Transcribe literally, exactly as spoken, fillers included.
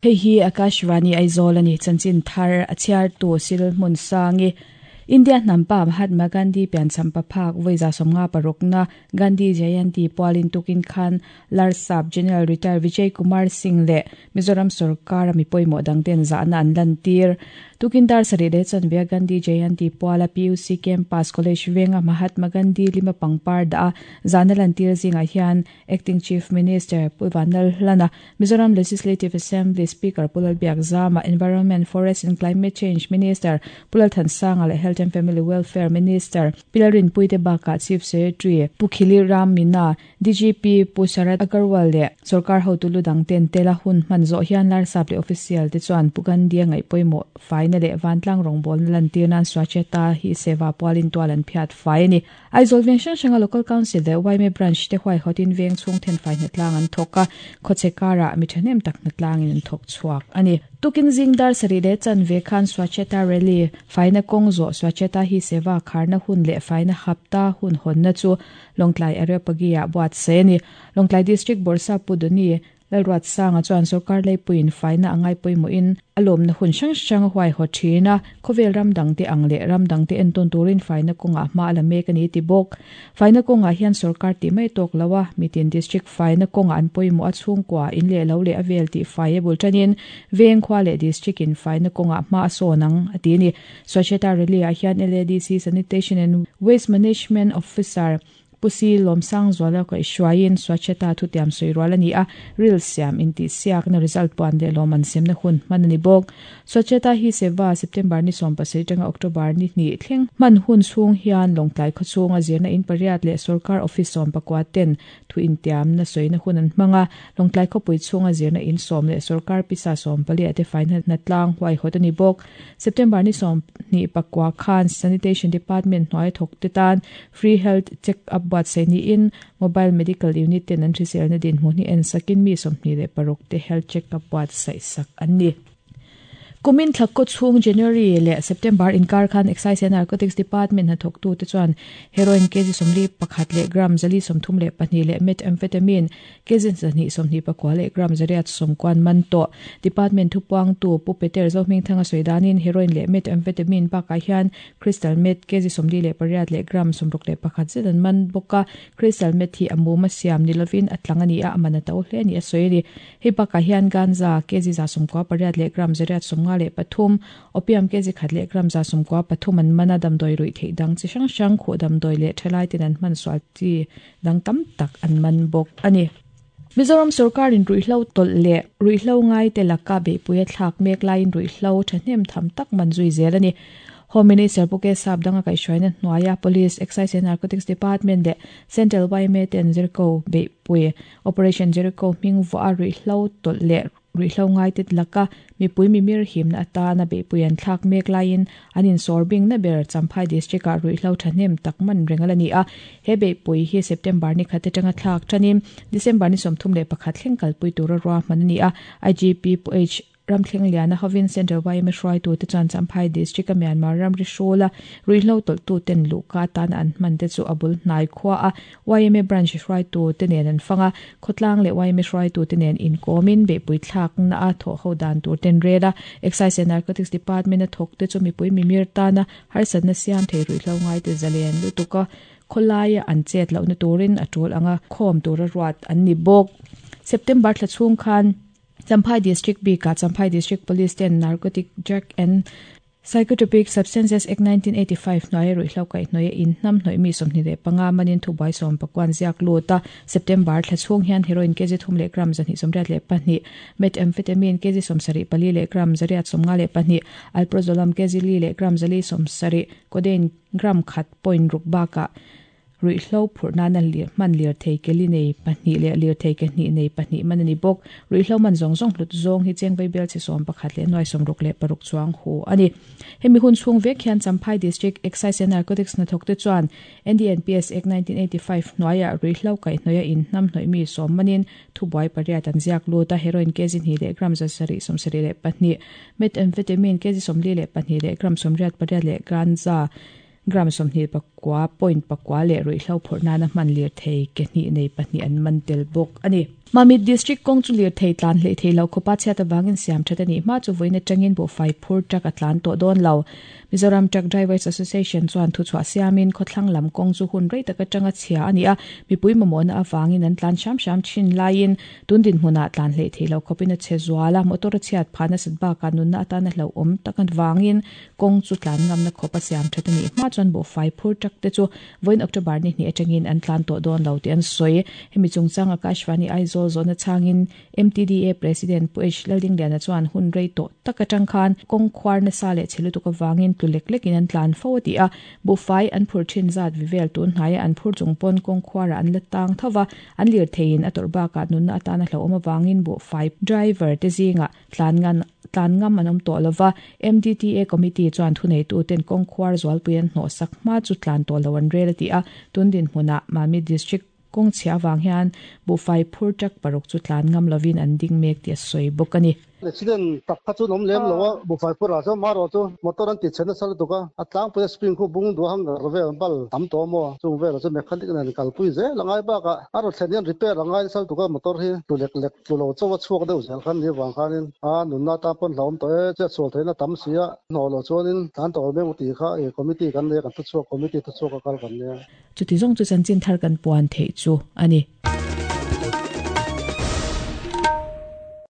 Hei hi Akashvani Aizawl ani chanchin thar a chhiar tu sil hmun sangi India hnampa Mahatma Gandhi piancham paphak voiza somnga parukna Gandhi Jayanti pualin tukin khan Larsap General Retired Vijay Kumar Singh le Mizoram Sarkar mi poimo dangten za na an lantir tukin dar sari le chanvia Gandhi Jayanti puala P U C Campus College venga Mahatma Gandhi lima pangpar da zana lantir zinga hian Acting Chief Minister Pulvanal Lana Mizoram Legislative Assembly Speaker Pulal Biakzama Environment Forest and Climate Change Minister Pulal Thansanga le Health and Family Welfare Minister Pilarin Puite Baka Chief Secretary Pukhili Ram Mina D G P Pusarat Agarwal le Sarkar hotulu dangten tela hun manzo hian lar sap le official te chuan Pugandhi ngai poimo final le vantlang rongbol na lantir nan Swachhata hi Seva pualin tualan phiat fai ni Aizawl veng hrang hranga local council le Y M A branch te huai hotin veng chung then fai na tlang an thoka khochekara mi thanem tak na tlangin an thok chuak ani tukin zingdar sari le chanve khan Swachhata rally faina kongzo Swachhata hi Seva kharna hun le faina hapta hun honna chu Longtlai area pagia buat se ni Longtlai district Borsa Puduni lalruat sanga chuan sarkar leipuin faina angai poimo in alom na hun hrang hrang huai ho thina khovel ramdang te ang le ramdang te enton turin faina konga ma ala mek ani ti bok faina konga hian sarkar ti mai tok lawa mitin district faina konga an poimo a chhungkwa in le lo le avel ti faiable tanin veng khwa le district in faina konga ma sonang ati ni Swachhata rally a hian L A D C sanitation and waste management officer Pusi Lomsang Zwala ko ishwain Swachhata thu tiam soirwala ni a real siam in ti siak na result puan de loman sem na hun manani bok Swachhata hi Seva September ni som pasai tanga October ni ni thleng man hun chung hian Longtlai khochunga zirna in pariat le sarkar office som pakwa ten thu in tiam na soina hun an hmanga Longtlai khopui chunga zirna in som le sarkar pisa som pali ate final na tlang huai hotani bok September ni som ni pakwa khan sanitation department noi thok te tan free health check up bat se ni in mobile medical unit ten an hrisel na din hmu ni en sakin mi somni le paruk te health check up bat sai sak anni Kumin thlakko chung January le September in kar khan Excise and Narcotics Department ha thok tu te chuan heroin kg somli pakhat le gram zali somthum le pahnih le methamphetamine kg zani somni pakwa le gram zariat somkwan man to department thupuang tu pu Peter Zohming thanga soidanin heroin le methamphetamine pa ka hian crystal meth kg somli le pariat le gram somruk le pakhat zedan man boka crystal meth hi amuma siam nilovin atlangani a amana to hle ni asoili hei pa ka hian ganja kg za somkwa pariat le gram zariat somnga le pathum opium kg khat le gram za somkwa pathum an mana dam doi rui thei dang chi hrang hrang khu dam doi le thalai tin an man swal chi dang tam tak an man bok ani Mizoram Sarkar in ruihlo tol le ruihlo ngai te laka be puya thlak mek lain ruihlo thahnem tham tak man zui zel ani Home Minister Puke Sap danga kai shwaina hnuaia Police Excise and Narcotics Department le Central Y M A ten Jericho be pui Operation Jericho ming vo a ruihlo tol le ruihlo ngai te laka mi pui mi mir him na ata na be puyan thlak mek lain anin sorbing na ber Champhai district a ruihlo thahnem takman rengalani a he be pui hi September ni khate tanga thlak thanin December ni somthum le pakhat thleng kal pui tura ro manani a I G P H Ramthleng liana hovin Central Y M A hruai tu te chuan Champhai district a Myanmar ramri hrola ruihlo tol tu ten luka tan an hman te chu abul hnai khwa a Y M A branch hruai tu te nen an fanga khotlang le Y M A hruai tu te nen in komin be pui thlak na a tho ho dan tur ten rela Excise and Narcotics Department a thok te chu mi pui mi mir ta na harsat na siam thei ruihlo ngai te zalen lutuka kholai an chet lo na turin a tul anga khom tur a ruat an ni bok September thla chung khan Champhai District B ka Champhai District Police ten Narcotic Drug and Psychotropic Substances Act nineteen eighty-five noi ruihlo kai noi in nam noi mi somni le panga manin thu bai som pakwan ziak luta September thla chung hian heroin kg thum le gram zani somriat le pahnih methamphetamine kg somsari pali le gram zariat somnga le pahnih alprazolam kg li le gram zali somsari codeine gram khat point ruk ba ka ruihlo phurna na lir man lir thei keli nei pahnih le lir thei ke ni nei pahnih man ani bok ruihlo man zong zong hlut zong hi cheng vai bel chi som pakhat le noi som ruk le paruk chuang hu ani hemi hun chung vek hian Champhai District Excise and Narcotics na thok te chuan N D N P S Act nineteen eighty-five noya ruihlo kai noya in nam noi mi som manin thubai pariat an ziak lu ta heroin kg ni le gram za sari som sari le pahnih methamphetamine kg som li le pahnih le gram som riat pariat le ganja gram som ni pakua point pakua leh ruihhlo phurh nana hman lirthei ke hnih nei pahnih an man tel bawk a ni. Mamit District kawng chu lirthei tlan hleih thei lo khawpa chhiat avangin siam that a nih hma chu vawiin atangin buhfai phur truck a tlan tawh dawn lo. Mizoram Truck Drivers Association chuan thuchhuah siamin khawthlang lam kawng chu hun rei tak atanga chhia a ni a, mipui mamawhna avangin an tlan hram hram thin laiin tun dinhmunah tlan hleih thei lo khawpin a chhe zual a, motor a chhiat phah nasat bakah nunna atana hlauhawm tak avangin kawng chu tlan ngamna khawp a siam that a nih hma chuan buhfai phur truck te chu vawiin October ni hnih atangin an tlan tawh dawn lo tih an sawi. Hemi chungchang Akashvani Aizawl zawhna changin M T D A President Pu H Laldingliana chuan hun rei tawh tak atang khan kawng khuar nasa leh chhe lutuk avangin tlu lek lekin an tlan fo a ti a, buhfai an phur thin zat vivel tun hnaia an phur chung pawn kawng khuarah an la tang thova, an lirtheiin a tawrh bakah nunna atana hlauhawm avangin buhfai driver te zingah tlan ngan tlan ngam an awm tawh lova. M D T A committee chuan thuneitu ten kawng khuar zualpui an hnawh sak hma chu tlan tawh lo an rel a ti a, tun dinhmunah Mamit District kawng chhia avang hian buhfai phur truck paruk chu tlan ngam lovin an ding mek tih a sawi bawk a ni. Accident tak kha chu an awm lem lo a, buhfai phur ah chuan marawh chu motor an ti chhe nasa lutuk a, a tlangpui a spring khu bung duh hang gar vel bal tam tawh maw chung velah chu mechanic nen kalpui zel a ngai bakah a rawn thlen hian repair a ngai nasa lutuk a, motor hi tlu lek lek tlu lo chaw a chhuak deuh zel khan ni avang khanin a nunna atan pawn hlauhawm tawh e, chiat sual theihna tam si a, hnawh loh chuanin tlan tawh mek tih kha e committee kan nei a, kan thuchhuak committee thuchhuak a kal kan nia. Chuti zawng chu chanchin thar kan puan theih chu a ni.